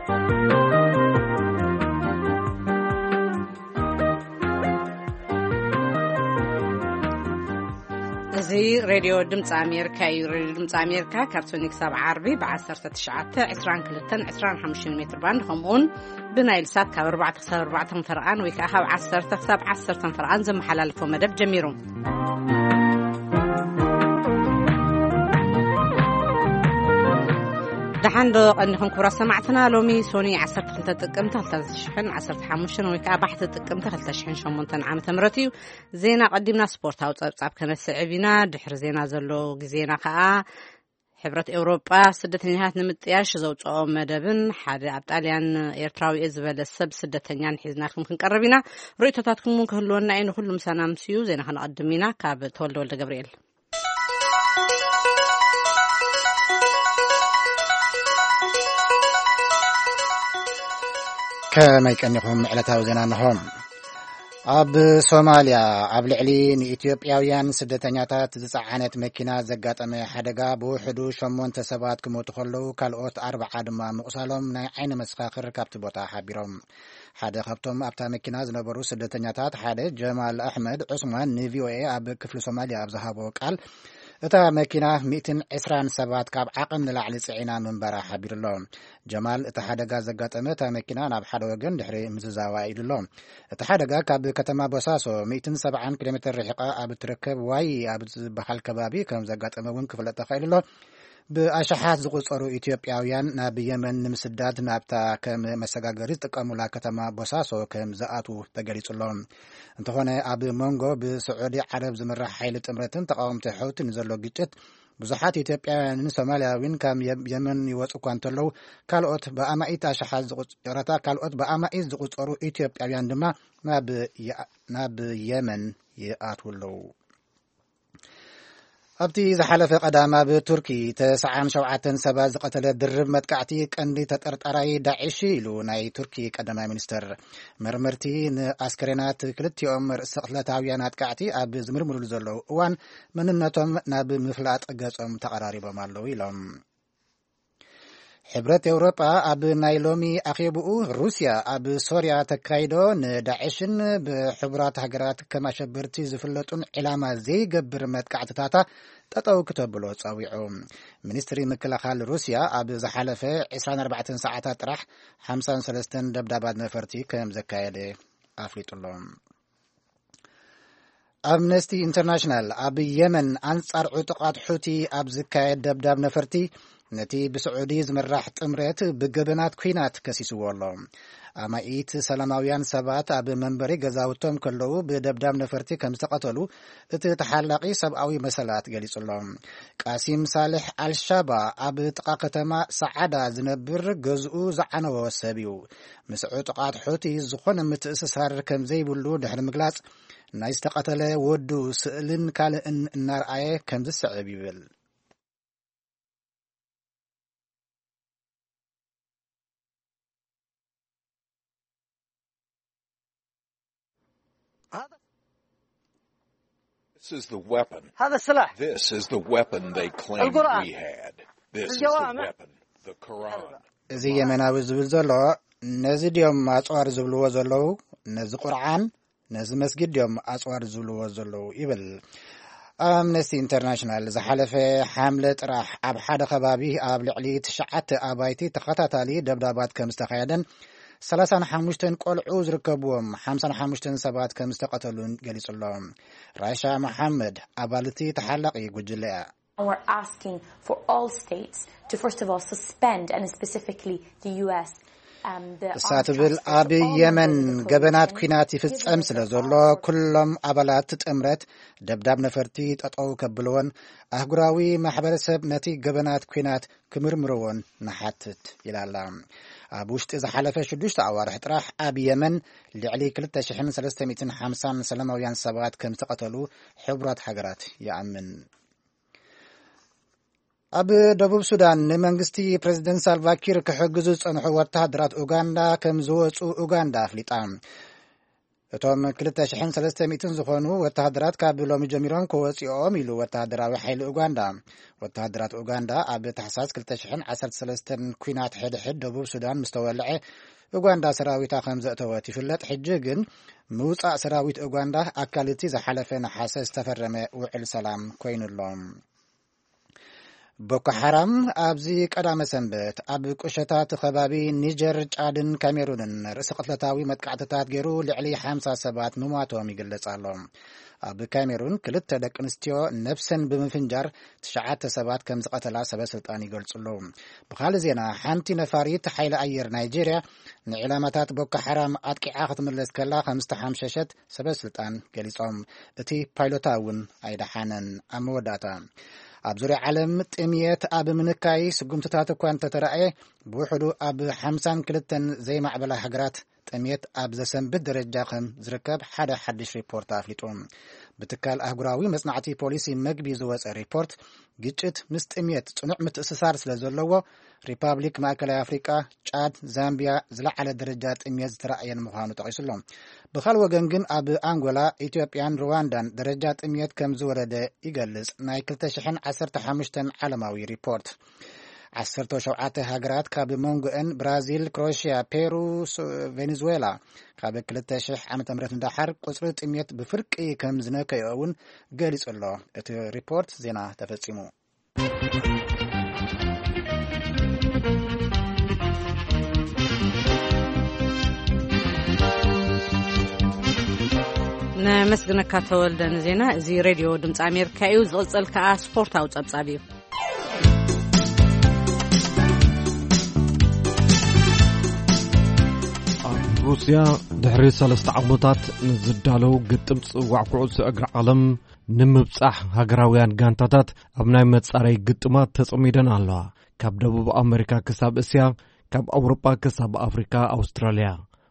እዚ ሬድዮ ድምፂ ኣሜሪካ እዩ። ሬድዮ ድምፂ ኣሜሪካ ካብ ሰኒ ክሳብ ዓርቢ ብ19፣ 22፣ 25 ሜትር ባንድ፣ ከምኡውን ብናይል ሳት ካብ ኣርባዕተ ክሳብ ኣርባዕተ ፈረቓን ወይ ከዓ ካብ ዓሰርተ ክሳብ ዓሰርተ ፈረቓን ዘመሓላልፎ መደብ ጀሚሩ። ደሓን ዶ ቀኒኹም ክቡራት ሰማዕትና? ሎሚ ሶኒ ዓሰርተ ክልተ ጥቅምቲ ክልተ ሽሕን ዓሰርተ ሓሙሽተን ወይ ከዓ ባሕቲ ጥቅምቲ ክልተ ሽሕን ሸሞንተን ዓመተ ምህረት እዩ። ዜና ቀዲምና ስፖርታዊ ጸብጻብ ከነስዕብ ኢና። ድሕሪ ዜና ዘሎ ግዜና ከዓ ሕብረት ኤውሮጳ ስደተኛታት ንምጥያሽ ዘውፅኦ መደብን ሓደ ኣብ ጣልያን ኤርትራዊ እየ ዝበለ ሰብ ስደተኛን ሒዝናልኩም ክንቀርብ ኢና። ርእይቶታትኩም እውን ክህልወና እዩ። ንኩሉ ምሳና ምስዩ ዜና ከነቐድም ኢና። ካብ ተወልደ ወልደ ገብርኤል። ከመይ ቀኒኹም? ዕለታዊ ዜና እንሆ። ኣብ ሶማልያ ኣብ ልዕሊ ንኢትዮጵያውያን ስደተኛታት ዝጸዓነት መኪና ዘጋጠመ ሓደጋ ብውሕዱ ሸሞንተ ሰባት ክሞቱ ከለዉ፣ ካልኦት ኣርብዓ ድማ ምቑሳሎም ናይ ዓይኒ መሰኻኽር ካብቲ ቦታ ሓቢሮም። ሓደ ካብቶም ኣብታ መኪና ዝነበሩ ስደተኛታት ሓደ ጀማል ኣሕመድ ዑስማን ንቪኦኤ ኣብ ክፍሊ ሶማልያ ኣብ ዝሃቦ ቃል፣ እታ መኪና ሚእትን ዕስራን ሰባት ካብ ዓቕም ንላዕሊ ጽዒና ምንባራ ሓቢሩ ኣሎ። ጀማል እቲ ሓደጋ ዘጋጠመ እታ መኪና ናብ ሓደ ወገን ድሕሪ ምዝዛዋ ኢሉ ኣሎ። እቲ ሓደጋ ካብ ከተማ ቦሳሶ ሚእትን ሰብዓን ኪሎ ሜትር ርሒቓ ኣብ እትርከብ ዋይ ኣብ ዝበሃል ከባቢ ከም ዘጋጠመ እውን ክፍለጥ ተኻኢሉ ኣሎ። ብኣሽሓት ዝቑጸሩ ኢትዮጵያውያን ናብ የመን ንምስዳድ ናብታ ከም መሰጋገሪ ዝጥቀሙላ ከተማ ቦሳሶ ከም ዝኣትዉ ተገሊጹ ኣሎ። እንተኾነ ኣብ መንጎ ብስዑዲ ዓረብ ዝምራሕ ሓይሊ ጥምረትን ተቃወምቲ ሑቲ ንዘሎ ግጭት ብዙሓት ኢትዮጵያውያንን ሶማልያዊን ካብ የ-፣ የመን ይወጹ እኳ እንተለዉ፣ ካልኦት ብኣማኢት ኣሽሓት ዝቑጽ-፣ ይቕረታ፣ ካልኦት ብኣማኢት ዝቑጸሩ ኢትዮጵያውያን ድማ ናብ የ-፣ ናብ የመን ይኣትዉ ኣለዉ። ኣብቲ ዝሓለፈ ቀዳም ኣብ ቱርኪ ተስዓን ሸውዓተን ሰባት ዝቐተለ ድርብ መጥቃዕቲ ቀንዲ ተጠርጣራይ ዳዕሽ ኢሉ ናይ ቱርኪ ቀዳማይ ሚኒስትር። መርመርቲ ንኣስከሬናት ክልቲኦም ርእሰ ቅትለታውያን ኣጥቃዕቲ ኣብ ዝምርምሩሉ ዘለዉ እዋን መንነቶም ናብ ምፍላጥ ገጾም ተቐራሪቦም ኣለዉ ኢሎም። ሕብረት ኤውሮጳ ኣብ ናይ ሎሚ ኣኼብኡ ሩስያ ኣብ ሶርያ ተካይዶ ንዳዕሽን ብሕቡራት ሃገራት ከም ኣሸበርቲ ዝፍለጡን ዕላማ ዘይገብር መጥቃዕትታታ ጠጠው ክተብሎ ጸዊዑ። ሚኒስትሪ ምክልኻል ሩስያ ኣብ ዝሓለፈ ዕስራን ኣርባዕተን ሰዓታት ጥራሕ ሓምሳን ሰለስተን ደብዳባት ነፈርቲ ከም ዘካየደ ኣፍሊጡ ኣሎ። ኣምነስቲ ኢንተርናሽናል ኣብ የመን ኣንጻር ዕጡቓት ሑቲ ኣብ ዝካየድ ደብዳብ ነፈርቲ፣ ነቲ ብስዑዲ ዝምራሕ ጥምረት ብገበናት ኲናት ከሲስዎ ኣሎ። ኣማኢት ሰላማውያን ሰባት ኣብ መንበሪ ገዛውቶም ከለዉ ብደብዳብ ነፈርቲ ከም ዝተቐተሉ እቲ ተሓላቒ ሰብኣዊ መሰላት ገሊጹ ኣሎ። ቃሲም ሳልሕ ኣልሻባ ኣብ ጥቓ ከተማ ሰዓዳ ዝነብር ገዝኡ ዝዓነወ ሰብ እዩ። ምስ ዕጡቓት ሑቲ ዝኾነ ምትእስሳር ከም ዘይብሉ ድሕሪ ምግላጽ፣ ናይ ዝተቐተለ ወዱ ስእልን ካልእን እናርኣየ ከም ዝስዕብ ይብል። This is the weapon. هذا السلاح. This is the weapon they claimed القرآن. We had. This is the الجوامع. Weapon, the Quran. እዚ የመናዊ ዝብል ዘሎ፣ ነዚ ድዮም ኣጽዋር ዝብልዎ ዘለዉ? ነዚ ቁርዓን፣ ነዚ መስጊድ ድዮም ኣጽዋር ዝብልዎ ዘለዉ? ይብል። ኣምነስቲ ኢንተርናሽናል ዝሓለፈ ሓምለ ጥራሕ ኣብ ሓደ ከባቢ ኣብ ልዕሊ ትሽዓተ ኣባይቲ ተኸታታሊ ደብዳባት ከም ዝተኻየደን ሰላሳን ሓሙሽተን ቆልዑ ዝርከብዎም ሓምሳን ሓሙሽተን ሰባት ከም ዝተቐተሉን ገሊጹ ኣሎ። ራሻ መሓመድ ኣባል እቲ ተሓላቒ ጉጅለ እያ። And we're asking for all states to, first of all, suspend, and specifically the U S, um, the እሳ armed ትብል፣ transfers ኣብ of all የመን members of the ገበናት Coalition. ኲናት ይፍጸም ስለ ዘሎ፣ ኩሎም ኣባላት ጥምረት ደብዳብ ነፈርቲ ጠጠው ከብልዎን ኣህጉራዊ ማሕበረሰብ ነቲ ገበናት ኲናት ክምርምርዎን ንሓትት ኢላ ኣላ። ኣብ ውሽጢ ዝሓለፈ ሽዱሽተ ኣዋርሕ ጥራሕ ኣብ የመን ልዕሊ ክልተ ሽሕን ሰለስተ ሚእትን ሓምሳን ሰላማውያን ሰባት ከም ዝተቐተሉ ሕቡራት ሃገራት ይኣምን። ኣብ ደቡብ ሱዳን ንመንግስቲ ፕሬዝደንት ሳልቫኪር ክሕግዙ ዝጸንሑ ወተሃደራት ኡጋንዳ ከም ዝወጹ ኡጋንዳ ኣፍሊጣ። እቶም ክልተ ሽሕን ሰለስተ ሚእትን ዝኾኑ ወተሃደራት ካብ ሎሚ ጀሚሮም ክወፅኦም ኢሉ ወተሃደራዊ ሓይሊ ኡጋንዳ። ወተሃደራት ኡጋንዳ ኣብ ታሕሳስ ክልተ ሽሕን ዓሰርተ ሰለስተን ኲናት ሕድሕድ ደቡብ ሱዳን ምስ ተወልዐ፣ ኡጋንዳ ሰራዊታ ከም ዘእተወት ይፍለጥ። ሕጂ ግን ምውፃእ ሰራዊት ኡጋንዳ ኣካል እቲ ዝሓለፈ ነሓሰ ዝተፈረመ ውዕል ሰላም ኮይኑ ኣሎ። ቦኮ ሓራም ኣብዚ ቀዳመ ሰንበት ኣብ ቁሸታት ከባቢ ኒጀር፣ ጫድን ካሜሩንን ርእሰ ቅትለታዊ መጥቃዕትታት ገይሩ ልዕሊ ሓምሳ ሰባት ምሟቶም ይግለጽ ኣሎ። ኣብ ካሜሩን ክልተ ደቂ ኣንስትዮ ነብሰን ብምፍንጃር ትሽዓተ ሰባት ከም ዝቐተላ ሰበ ስልጣን ይገልጹ ኣለዉ። ብኻልእ ዜና፣ ሓንቲ ነፋሪት ሓይሊ ኣየር ናይጄርያ ንዕላማታት ቦኮ ሓራም ኣጥቂዓ ክትምለስ ከላ ከም ዝተሓምሸሸት ሰበ ስልጣን ገሊጾም። እቲ ፓይሎታ እውን ኣይደሓነን። ኣብ መወዳእታ፣ ኣብ ዙርያ ዓለም ጥምየት ኣብ ምንካይ ስጉምትታት እኳ እንተተራእየ፣ ብውሕዱ ኣብ ሓምሳን ክልተን ዘይማዕበላ ሃገራት ጥምየት ኣብ ዘሰንብድ ደረጃ ከም ዝርከብ ሓደ ሓድሽ ሪፖርት ኣፍሊጡ። ብትካል ኣህጉራዊ መጽናዕቲ ፖሊሲ መግቢ ዝወጸ ሪፖርት፣ ግጭት ምስ ጥምየት ጽኑዕ ምትእስሳር ስለ ዘለዎ፣ ሪፓብሊክ ማእከላይ ኣፍሪቃ፣ ጫድ፣ ዛምቢያ ዝለዓለ ደረጃ ጥምየት ዝተራእየን ምዃኑ ጠቒሱ ኣሎ። ብኻልእ ወገን ግን፣ ኣብ ኣንጎላ፣ ኢትዮጵያን ሩዋንዳን ደረጃ ጥምየት ከም ዝወረደ ይገልጽ ናይ ክልተ ሽሕን ዓሰርተ ሓሙሽተን ዓለማዊ ሪፖርት። ዓሰርተ ሸውዓተ ሃገራት፣ ካብ መንጎአን ብራዚል፣ ክሮኤሽያ፣ ፔሩ፣ ሱ-፣ ቬኔዙዌላ፣ ካብ ክልተ ሽሕ ዓመተ ምህረት ንደሓር ቁጽሪ ጥምየት ብፍርቂ ከም ዝነከዮ እውን ገሊጹ ኣሎ። እቲ ሪፖርት ዜና ተፈጺሙ። ነመስግነካ ተወልደ ንዜና። እዚ ሬድዮ ድምፂ ኣሜሪካ እዩ። ዝቕጽል ከኣ ስፖርታዊ ጸብጻብ እዩ። ኣብ ሩስያ ድሕሪ ሰለስተ ዓመታት ንዝዳለው ግጥም ጽዋዕ ኩዕሶ እግሪ ዓለም ንምብጻሕ፣ ሃገራውያን ጋንታታት ኣብ ናይ መጻረይ ግጥማት ተጸሚደን ኣለዋ። ካብ ደቡብ ኣመሪካ ክሳብ እስያ፣ ካብ ኣውሮጳ ክሳብ ኣፍሪካ፣ ኣውስትራልያ።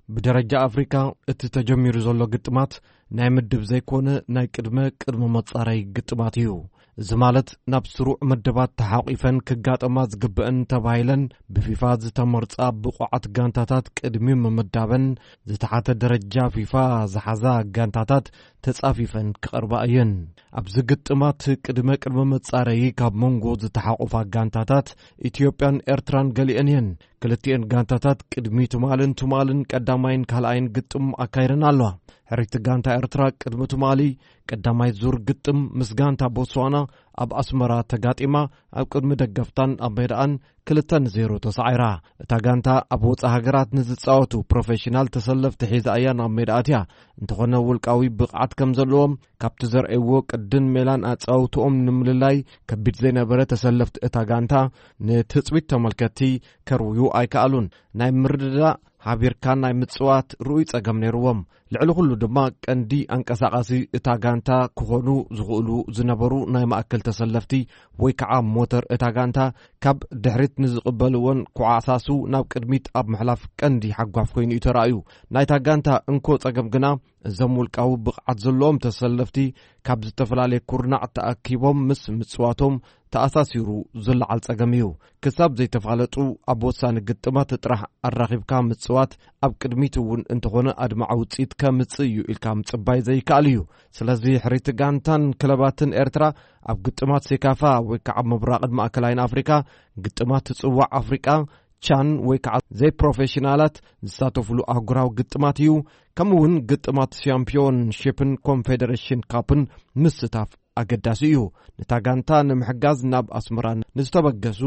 ብደረጃ ኣፍሪካ እቲ ተጀሚሩ ዘሎ ግጥማት ናይ ምድብ ዘይኮነ፣ ናይ ቅድመ ቅድመ መጻረይ ግጥማት እዩ። እዚ ማለት፣ ናብ ስሩዕ መደባት ተሓቂፈን ክጋጠማ ዝግበአን ተባሂለን ብፊፋ ዝተመርጻ ብቑዓት ጋንታታት ቅድሚ ምምዳበን፣ ዝተሓተ ደረጃ ፊፋ ዝሓዛ ጋንታታት ተጻፊፈን ክቐርባ እየን። ኣብዚ ግጥማት ቅድመ ቅድመ መጻረዪ ካብ መንጎ ዝተሓቆፋ ጋንታታት ኢትዮጵያን ኤርትራን ገሊአን እየን። ክልቲኤን ጋንታታት ቅድሚ ትማልን ትማልን ቀዳማይን ካልኣይን ግጥም ኣካይደን ኣለዋ። ሕሪቲ ጋንታ ኤርትራ ቅድሚ ትማሊ ቀዳማይ ዙር ግጥም ምስ ጋንታ ቦትስዋና ኣብ ኣስመራ ተጋጢማ፣ ኣብ ቅድሚ ደገፍታን ኣብ ሜዳኣን ክልተ ንዜሮ ተሳዒራ። እታ ጋንታ ኣብ ወጻኢ ሃገራት ንዝጻወቱ ፕሮፌሽናል ተሰለፍቲ ሒዛ እያ ናብ ሜዳ ኣትያ። እንተኾነ፣ ውልቃዊ ብቕዓት ከም ዘለዎም ካብቲ ዘርእይዎ ቅድን ሜላን ኣጻውትኦም ንምልላይ ከቢድ ዘይነበረ፣ ተሰለፍቲ እታ ጋንታ ንትጽቢት ተመልከትቲ ከርውዩ ኣይከኣሉን። ናይ ምርድዳእ፣ ሓቢርካ ናይ ምጽዋት ርኡይ ጸገም ነይርዎም። ልዕሊ ኩሉ ድማ፣ ቀንዲ ኣንቀሳቓሲ እታ ጋንታ ክኾኑ ዝኽእሉ ዝነበሩ ናይ ማእከል ተሰለፍቲ ወይ ከዓ ሞተር እታ ጋንታ፣ ካብ ድሕሪት ንዝቕበልዎን ክዓሳሱ ናብ ቅድሚት ኣብ ምሕላፍ ቀንዲ ሓጓፍ ኮይኑ እዩ ተራእዩ። ናይታ ጋንታ እንኮ ጸገም ግና፣ እዞም ውልቃዊ ብቕዓት ዘለዎም ተሰለፍቲ ካብ ዝተፈላለየ ኩርናዕ ተኣኪቦም ምስ ምጽዋቶም ተኣሳሲሩ ዝለዓል ጸገም እዩ። ክሳብ ዘይተፋለጡ፣ ኣብ ወሳኒ ግጥማት ጥራሕ ኣራኺብካ ምጽዋት፣ ኣብ ቅድሚት እውን እንተኾነ ኣድማዒ ውጽኢት ከምጽእ እዩ ኢልካ ምጽባይ ዘይከኣል እዩ። ስለዚ፣ ሕሪቲ ጋንታን ክለባትን ኤርትራ ኣብ ግጥማት ሴካፋ ወይ ከዓ ምብራቕን ማእከላይን ኣፍሪካ፣ ግጥማት ጽዋዕ ኣፍሪቃ፣ ቻን ወይ ከዓ ዘይፕሮፌሽናላት ዝሳተፉሉ ኣህጉራዊ ግጥማት እዩ። ከምኡ እውን ግጥማት ሻምፒዮንሺፕን ኮንፌደሬሽን ካፕን ምስታፍ ኣገዳሲ እዩ። ነታ ጋንታ ንምሕጋዝ ናብ ኣስመራ ንዝተበገሱ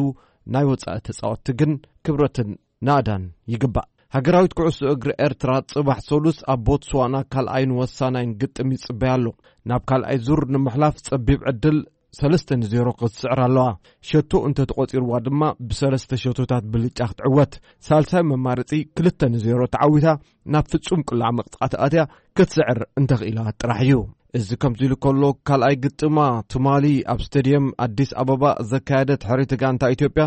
ናይ ወጻኢ ተጻወትቲ ግን ክብረትን ናእዳን ይግባእ። ሃገራዊት ኩዕሶ እግሪ ኤርትራ ጽባሕ ሰሉስ ኣብ ቦትስዋና ካልኣይን ወሳናይን ግጥም ይጽበያ ኣሎ። ናብ ካልኣይ ዙር ንምሕላፍ ጸቢብ ዕድል ሰለስተ ንዜሮ ክትስዕር ኣለዋ። ሸቶ እንተተቖጺርዋ ድማ ብሰለስተ ሸቶታት ብልጫ ክትዕወት። ሳልሳይ መማረጺ ክልተ ንዜሮ ተዓዊታ ናብ ፍጹም ቅላዕ መቕጻዕቲ ኣትያ ክትስዕር እንተኽኢላ ጥራሕ እዩ። እዚ ከምዚ ኢሉ ከሎ፣ ካልኣይ ግጥማ ትማሊ ኣብ ስቴድየም ኣዲስ ኣበባ ዘካየደት ሕሪቲ ጋንታ ኢትዮጵያ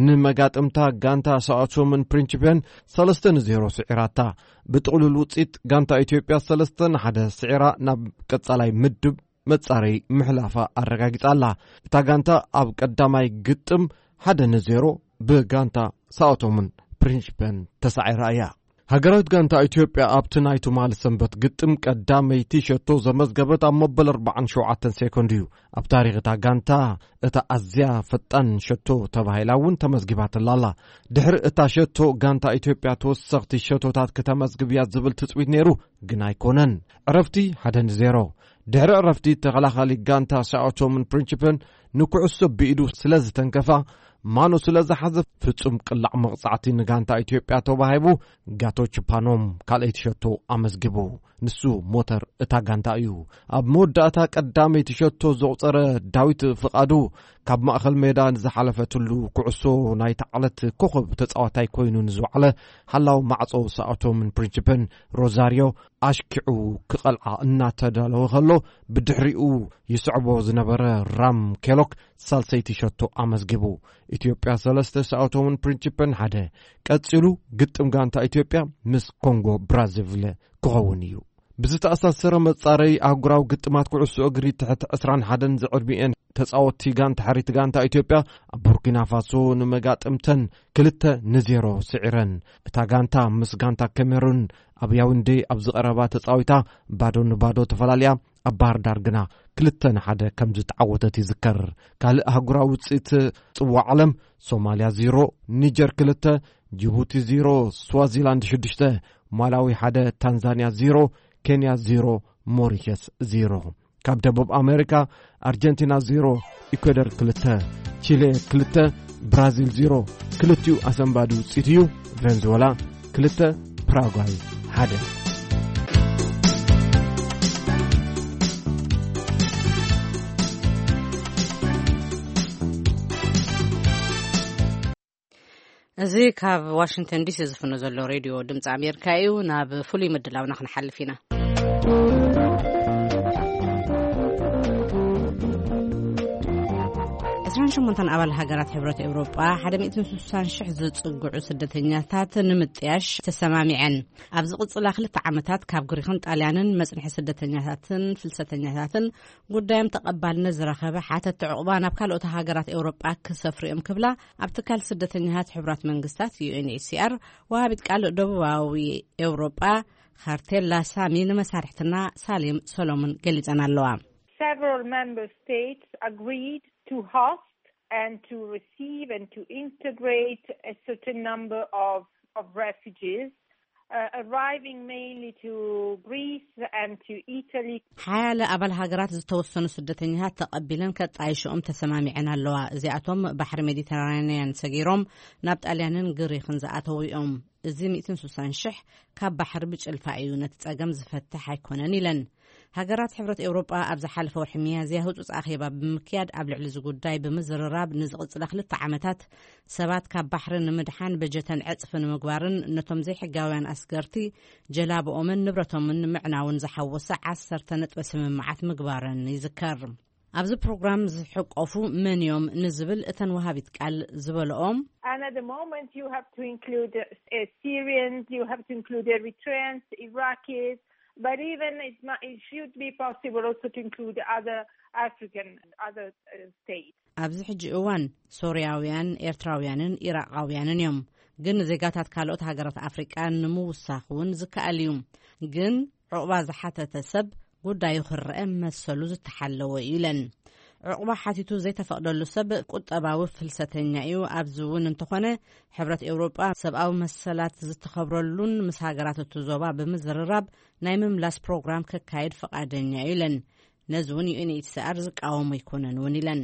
ንመጋጥምታ ጋንታ ሳኦቶምን ፕሪንሲፕን ሰለስተ ንዜሮ ስዒራታ። ብጥቕሉል ውጽኢት፣ ጋንታ ኢትዮጵያ ሰለስተ ንሓደ ስዒራ ናብ ቀጻላይ ምድብ መጻረይ ምሕላፋ ኣረጋጊጻ ኣላ። እታ ጋንታ ኣብ ቀዳማይ ግጥም ሓደ ንዜሮ ብጋንታ ሳኦቶምን ፕሪንሲፕን ተሳዒራ እያ። ሃገራዊት ጋንታ ኢትዮጵያ ኣብቲ ናይ ትማሊ ሰንበት ግጥም ቀዳመይቲ ሸቶ ዘመዝገበት ኣብ መበል ኣርባዓን ሸውዓተን ሴኮንድ እዩ። ኣብ ታሪኽ እታ ጋንታ እታ ኣዝያ ፈጣን ሸቶ ተባሂላ እውን ተመዝጊባትላ ኣላ። ድሕሪ እታ ሸቶ ጋንታ ኢትዮጵያ ተወሰኽቲ ሸቶታት ክተመዝግብ እያ ዝብል ትጽቢት ነይሩ፣ ግን ኣይኮነን። ዕረፍቲ ሓደ ንዜሮ። ድሕሪ ዕረፍቲ ተኸላኻሊ ጋንታ ሳኦቶምን ፕሪንሲፕን ንኩዕሶ ብኢዱ ስለ ዝተንከፋ፣ ማኖ ስለ ዝሓዘ ፍጹም ቅላዕ መቕጻዕቲ ንጋንታ ኢትዮጵያ ተዋሂቡ፣ ጋቶች ፓኖም ካልኣይቲ ሸቶ ኣመዝጊቡ። ንሱ ሞተር እታ ጋንታ እዩ። ኣብ መወዳእታ ቀዳመይቲ ሸቶ ዘቑጸረ ዳዊት ፍቓዱ፣ ካብ ማእከል ሜዳ ንዝሓለፈትሉ ኩዕሶ ናይታ ዕለት ኮኸብ ተጻዋታይ ኮይኑ ንዝወዓለ ሓላው ማዕጾ ሳኦቶምን ፕሪንሲፕን ሮዛሪዮ ኣሽኪዑ ክቐልዓ እናተዳለወ ከሎ፣ ብድሕሪኡ ይስዕቦ ዝነበረ ራም ኬሎክ ሳልሰይቲ ሸቶ ኣመዝጊቡ። ኢትዮጵያ ሰለስተ፣ ሳኦቶምን ፕሪንሲፕን ሓደ። ቀጺሉ ግጥም ጋንታ ኢትዮጵያ ምስ ኮንጎ ብራዛቪል ክኸውን እዩ። ብዝተኣሳሰረ መጻረይ ኣህጉራዊ ግጥማት ኩዕሶ እግሪ ትሕቲ ዕስራን ሓደን ዝዕድሚኤን ተጻወትቲ ጋንታ ሓሪት ጋንታ ኢትዮጵያ ኣብ ቡርኪና ፋሶ ንመጋጥምተን ክልተ ንዜሮ ስዒረን። እታ ጋንታ ምስ ጋንታ ካሜሩን ኣብ ያውንዴ ኣብ ዝቐረባ ተጻዊታ ባዶ ንባዶ ተፈላልያ ኣብ ባህር ዳር ግና ክልተ ንሓደ ከም ዝተዓወተት ይዝከር። ካልእ ኣህጉራዊ ውጽኢት ጽዋዕ ዓለም ሶማልያ ዜሮ፣ ኒጀር ክልተ፣ ጅቡቲ ዜሮ፣ ስዋዚላንድ ሽዱሽተ፣ ማላዊ ሓደ፣ ታንዛንያ ዜሮ፣ ኬንያ ዜሮ፣ ሞሪሸስ ዜሮ። ካብ ደቡብ ኣሜሪካ ኣርጀንቲና ዜሮ፣ ኢኳዶር ክልተ፣ ቺሌ ክልተ፣ ብራዚል ዜሮ። ክልቲኡ ኣሰንባዲ ውጽኢት እዩ። ቬንዙዌላ ክልተ፣ ፓራጓይ ሓደ። እዚ ካብ ዋሽንግተን ዲሲ ዝፍኖ ዘሎ ሬድዮ ድምፂ ኣሜሪካ እዩ። ናብ ፍሉይ ምድላውና ክንሓልፍ ኢና። ዕስራን ሸሞንተን ኣባል ሃገራት ሕብረት ኤውሮጳ ሓደ ሚእትን ስሳን ሽሕ ዝጽግዑ ስደተኛታት ንምጥያሽ ተሰማሚዐን። ኣብ ዝቕጽላ ክልተ ዓመታት ካብ ግሪኽን ጣልያንን መጽንሒ ስደተኛታትን ፍልሰተኛታትን ጉዳዮም ተቐባልነት ዝረኸበ ሓተቲ ዕቑባ ናብ ካልኦት ሃገራት ኤውሮጳ ክሰፍሩ እዮም ክብላ ኣብ ትካል ስደተኛታት ሕቡራት መንግስታት ዩ ኤን ኤች ሲ ኣር ወሃቢት ቃል ደቡባዊ ኤውሮጳ ካርቴላ ሳሚ ንመሳርሕትና ሳሌም ሰሎሞን ገሊጸን ኣለዋ። Several member states agreed to host and to receive and to integrate a certain number of, of refugees, uh, arriving mainly to Greece and to Italy. ሓያለ ኣባል ሃገራት ዝተወሰኑ ስደተኛታት ተቐቢለን ከጣይሽኦም ተሰማሚዐን ኣለዋ። እዚኣቶም ባሕሪ ሜዲተራንያን ሰጊሮም ናብ ጣልያንን ግሪኽን ዝኣተዉ እዮም። እዚ ሚእትን ስሳን ሽሕ ካብ ባሕሪ ብጭልፋ እዩ፣ ነቲ ጸገም ዝፈትሕ ኣይኮነን ኢለን። ሃገራት ሕብረት ኤውሮጳ ኣብ ዝሓለፈ ወርሒ ሚያዝያ ህጹጽ ኣኼባ ብምክያድ ኣብ ልዕሊ እዚ ጉዳይ ብምዝርራብ ንዝቕጽላ ክልተ ዓመታት ሰባት ካብ ባሕሪ ንምድሓን በጀተን ዕጽፊ ንምግባርን ነቶም ዘይሕጋውያን ኣስገርቲ ጀላብኦምን ንብረቶምን ንምዕናውን ዝሓወሰ ዓሰርተ ነጥቢ ስምምዓት ምግባረን ይዝከር። ኣብዚ ፕሮግራም ዝሕቆፉ መን እዮም ንዝብል እተን ወሃቢት ቃል ዝበልኦም And at the moment, you have to include uh, Syrians, you have to include Eritreans, Iraqis, but even it's not, it should be possible also to include other African, other uh, states. ኣብዚ ሕጂ እዋን ሶርያውያን፣ ኤርትራውያንን ኢራቓውያንን እዮም። ግን ዜጋታት ካልኦት ሃገራት ኣፍሪቃ ንምውሳኽ እውን ዝከኣል እዩ። ግን ዕቑባ ዝሓተተ ሰብ ጉዳዩ ክረአ መሰሉ ዝተሓለወ እዩ ኢለን። ዕቑባ ሓቲቱ ዘይተፈቕደሉ ሰብ ቁጠባዊ ፍልሰተኛ እዩ። ኣብዚ እውን እንተኾነ ሕብረት ኤውሮጳ ሰብኣዊ መሰላት ዝተኸብረሉን ምስ ሃገራት እቲ ዞባ ብምዝርራብ ናይ ምምላስ ፕሮግራም ከካየድ ፍቓደኛ እዩ ኢለን። ነዚ እውን ዩ ኤን ኤች ሲ ኣር ዝቃወሞ ኣይኮነን እውን ኢለን።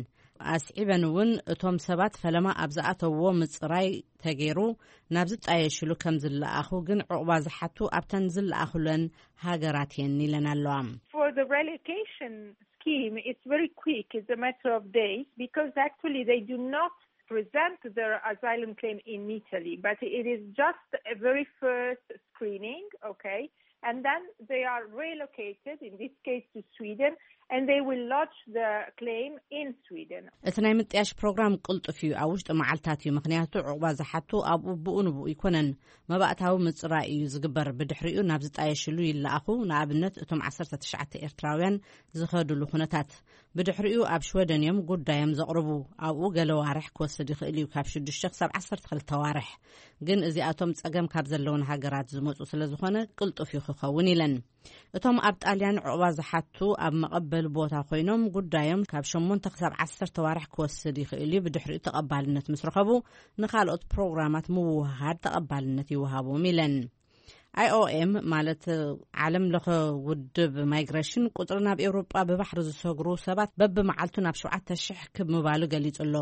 ኣስዒበን እውን እቶም ሰባት ፈለማ ኣብ ዝኣተውዎ ምጽራይ ተገይሩ ናብ ዝጣየሽሉ ከም ዝለኣኹ ግን ዕቑባ ዝሓቱ ኣብተን ዝለኣኹለን ሃገራት እየን ኢለን ኣለዋ። For the relocation scheme, it's very quick. It's a matter of days because actually they do not present their asylum claim in Italy, but it is just a very first screening, okay? And then they are relocated, in this case to Sweden, and they will lodge the claim in Sweden. እቲ ናይ ምጥያሽ ፕሮግራም ቅልጡፍ እዩ፣ ኣብ ውሽጢ መዓልታት እዩ። ምክንያቱ ዕቑባ ዝሓቱ ኣብኡ ብኡ ንብኡ ኣይኮነን፣ መባእታዊ ምጽራይ እዩ ዝግበር። ብድሕሪኡ ናብ ዝጣየሽሉ ይለኣኹ። ንኣብነት እቶም ዓሰርተ ትሽዓተ ኤርትራውያን ዝኸድሉ ኩነታት፣ ብድሕሪኡ ኣብ ሽወደን እዮም ጉዳዮም ዘቕርቡ። ኣብኡ ገለ ዋርሕ ክወስድ ይኽእል እዩ፣ ካብ ሽዱሽተ ክሳብ ዓሰርተ ክልተ ዋርሕ። ግን እዚኣቶም ጸገም ካብ ዘለውን ሃገራት ዝመጹ ስለ ዝኾነ ቅልጡፍ እዩ ክኸውን ኢለን። እቶም ኣብ ጣልያን ዕቑባ ዝሓቱ ኣብ መቐበሊ ቦታ ኮይኖም ጉዳዮም ካብ ሸሞንተ ክሳብ ዓሰርተ ዋርሕ ክወስድ ይኽእል እዩ። ብድሕሪኡ ተቐባልነት ምስ ረኸቡ ንኻልኦት ፕሮግራማት ምውህሃድ ተቐባልነት ይወሃቦም ኢለን። ኣይኦኤም ማለት ዓለም ለኸ ውድብ ማይግሬሽን ቁፅሪ ናብ ኤውሮጳ ብባሕሪ ዝሰግሩ ሰባት በብመዓልቱ ናብ ሸውዓተ ሽሕ ክብ ምባሉ ገሊጹ ኣሎ።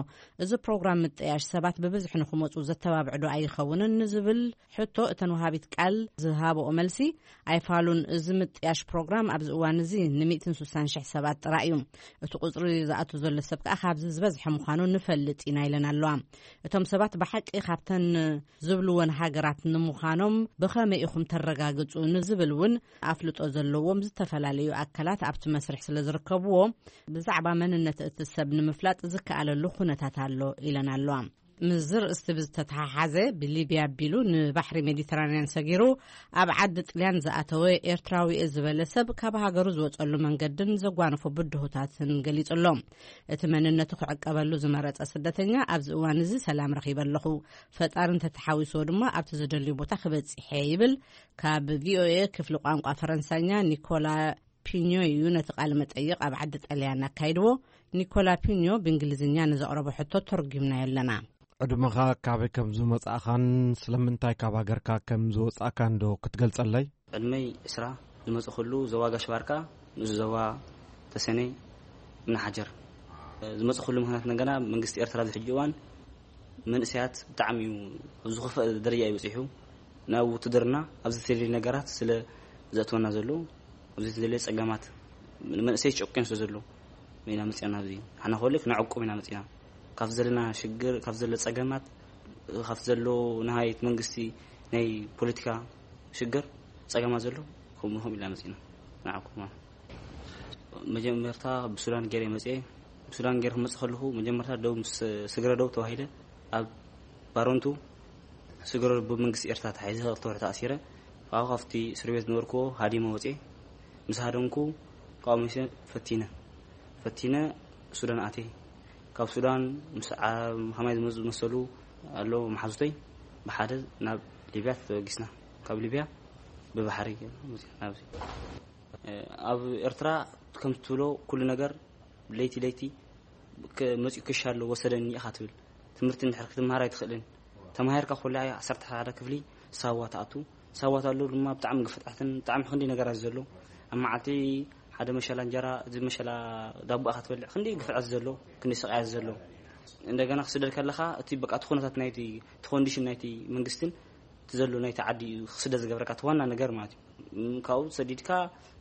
እዚ ፕሮግራም ምጥያሽ ሰባት ብብዝሒ ንክመፁ ዘተባብዕዶ ኣይኸውንን ንዝብል ሕቶ እተን ወሃቢት ቃል ዝሃበኦ መልሲ ኣይፋሉን። እዚ ምጥያሽ ፕሮግራም ኣብዚ እዋን እዚ ን160,000 ሰባት ጥራይ እዩ። እቲ ቁፅሪ ዝኣቱ ዘሎ ሰብ ከዓ ካብዚ ዝበዝሐ ምዃኑ ንፈልጥ ኢና ኢለን ኣለዋ። እቶም ሰባት ብሓቂ ካብተን ዝብልወን ሃገራት ንምዃኖም ብኸመይ ኢኹም ተረጋግፁ ንዝብል እውን ኣፍልጦ ዘለዎም ዝተፈላለዩ ኣካላት ኣብቲ መስርሕ ስለ ዝርከብዎ ብዛዕባ መንነት እቲ ሰብ ንምፍላጥ ዝከኣለሉ ኩነታት ኣሎ ኢለን ኣለዋ። ምስዚ ርእስቲ ብዝተተሓሓዘ ብሊብያ ኣቢሉ ንባሕሪ ሜዲተራንያን ሰጊሩ ኣብ ዓዲ ጥልያን ዝኣተወ ኤርትራዊ እየ ዝበለ ሰብ ካብ ሃገሩ ዝወፀሉ መንገድን ዘጓነፎ ብድሆታትን ገሊጹ ኣሎ። እቲ መንነቱ ክዕቀበሉ ዝመረጸ ስደተኛ ኣብዚ እዋን እዚ ሰላም ረኺበ ኣለኹ፣ ፈጣሪ እንተተሓዊስዎ ድማ ኣብቲ ዝደልዮ ቦታ ክበጽሕ እየ ይብል። ካብ ቪኦኤ ክፍሊ ቋንቋ ፈረንሳኛ ኒኮላ ፒኞ እዩ ነቲ ቃለ መጠይቕ ኣብ ዓዲ ጣልያን ኣካይድዎ። ኒኮላ ፒኞ ብእንግሊዝኛ ንዘቕረቦ ሕቶ ተርጒምናዮ ኣለና። ዕድመኻ፣ ካበይ ከም ዝመጻእኻን ስለምንታይ ካብ ሃገርካ ከም ዝወጻእካን ዶ ክትገልጸለይ? ዕድመይ ዕስራ፣ ዝመጽእኩሉ ዞባ ጋሽ ባርካ፣ ንኡስ ዞባ ተሰነይ፣ እምኒ ሓጀር። ዝመጽእኩሉ ምኽንያት እንደገና መንግስቲ ኤርትራ ኣብዚ ሕጂ እዋን መንእሰያት ብጣዕሚ እዩ ኣብ ዝኸፍአ ደረጃ እዩ በጺሑ። ናብ ውትድርና ኣብዚ ዝተደለየ ነገራት ስለ ዘእትወና ዘሎ፣ ኣብዚ ዝተደለየ ጸገማት፣ መንእሰይ ጨቁን ስለ ዘሎ ኢና መጺና። ኣብዚ ንሕና ከወልክ ንዕቁብ ኢና መጺና። ካብ ዘለና ሽግር፣ ካብ ዘሎ ጸገማት፣ ካብ ዘሎ ናይ መንግስቲ ናይ ፖለቲካ ሽግር ጸገማት ዘሎ ከምኡ ከምኡ ኢልና መጺና ንዕቁብ ማለት። መጀመርታ ብሱዳን ገይረ መጽኤ። ብሱዳን ገይረ ክመጽእ ከለኹ መጀመርታ ደው ምስ ስግረ ደው ተባሂለ ኣብ ባሮንቱ ስግረ ደው ብመንግስቲ ኤርትራ ተሓይዘ ክልተ ወርሒ ተኣሲረ። ካብኡ ካብቲ እስር ቤት ዝነበርኩዎ ሃዲመ ወጽኤ። ምስ ሃደምኩ ካብኡ መሸ ፈቲነ ፈቲነ ሱዳን ኣትየ። ካብ ሱዳን ምስ ዓ-፣ ከማይ ዝመጹ ዝመሰሉ ኣለዉ መሓዙተይ ብሓደ ናብ ሊብያ ተበጊስና። ካብ ሊብያ ብባሕሪ ገይርና መጺና ናብዚ። ኣብ ኤርትራ ከም ትብሎ ኩሉ ነገር ለይቲ ለይቲ ከ-፣ መጺኡ ክሻ ኣሎ ወሰደኒ ኢኻ ትብል። ትምህርቲ እንድሕር ክትመሃር ኣይትኽእልን። ተማሂርካ ኩላ ዓሰርተ ሓደ ክፍሊ ሳዋ ትኣቱ። ሳዋ ትኣሉ ድማ ብጣዕሚ ግፍጣትን ብጣዕሚ ክንዲ ነገራት ዘሎ። ኣብ መዓልቲ ሓደ መሸላ እንጀራ፣ እዚ መሸላ ዳቦ ኢኻ ትበልዕ። ክንዲ ግፍጣት ዘሎ፣ ክንዲ ስቃያት ዘሎ። እንደገና ክስደድ ከለኻ እቲ በቃ እቲ ኩነታት ናይቲ፣ እቲ ኮንዲሽን ናይቲ መንግስትን እቲ ዘሎ ናይቲ ዓዲ እዩ ክስደድ ዝገብረካ እቲ ዋና ነገር ማለት እዩ። እም፣ ካብኡ ሰዲድካ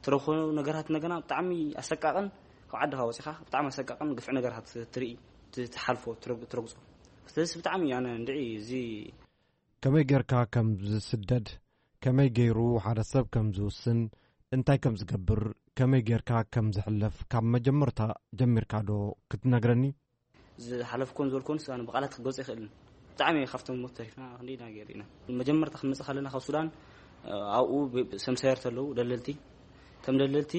ትረኽቦ ነገራት እንደገና ብጣዕሚ ኣሰቃቕን ካብ ዓድኻ ወጺኻ ብጣዕሚ ኣሰቃቕን ግፍዒ ነገራት ትርኢ፣ ት-፣ ትሓልፎ፣ ትረግ-፣ ትረግጾ። ስለዚ ብጣዕሚ ኣነ እንድዒ እዚ ከመይ ጌርካ ከም ዝስደድ፣ ከመይ ገይሩ ሓደ ሰብ ከም ዝውስን፣ እንታይ ከም ዝገብር፣ ከመይ ጌርካ ከም ዝሕለፍ ካብ መጀመርታ ጀሚርካ ዶ ክትነግረኒ? ዝሓለፍኮን ዝበልኮን ኣነ ብቓላት ክገልጾ ይኽእልን። ብጣዕሚ ካብቶም ሞት ተሪፍና ክንደይ ኢና ገይሩ ኢና። መጀመርታ ክንመጽእ ከለና ካብ ሱዳን፣ ኣብኡ ብ-፣ ሰምሳየር ተለዉ ደለልቲ። እቶም ደለልቲ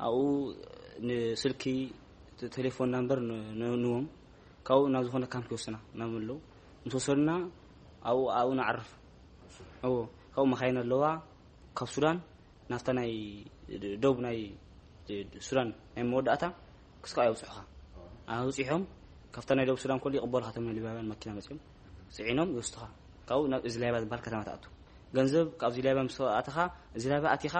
ኣብኡ ንስልኪ ተ-፣ ቴሌፎን ናምበር ን-፣ ን-፣ ንዎም። ካብኡ ናብ ዝኾነ ካምፕ ይወስዱና ናብ ኣለዉ። ምስ ወሰዱና ኣብኡ፣ ኣብኡ ንዓርፍ። እዎ፣ ካብኡ መኻይን ኣለዋ። ካብ ሱዳን ናብታ ናይ ደቡብ ናይ ሱዳን ናይ መወዳእታ ክስካ የብጽሑኻ። ኣብጺሖም ካብታ ናይ ደቡብ ሱዳን ኮሉ ይቕበሉኻ፣ እቶም ሊብያውያን መኪና መጺኦም ጽዒኖም ይወስዱኻ። ካብኡ ናብ እዝላይባ ዝበሃል ከተማ ትኣቱ። ገንዘብ ካብዚ ላይባ ምስ ኣተኻ፣ እዚ ላይባ ኣቲኻ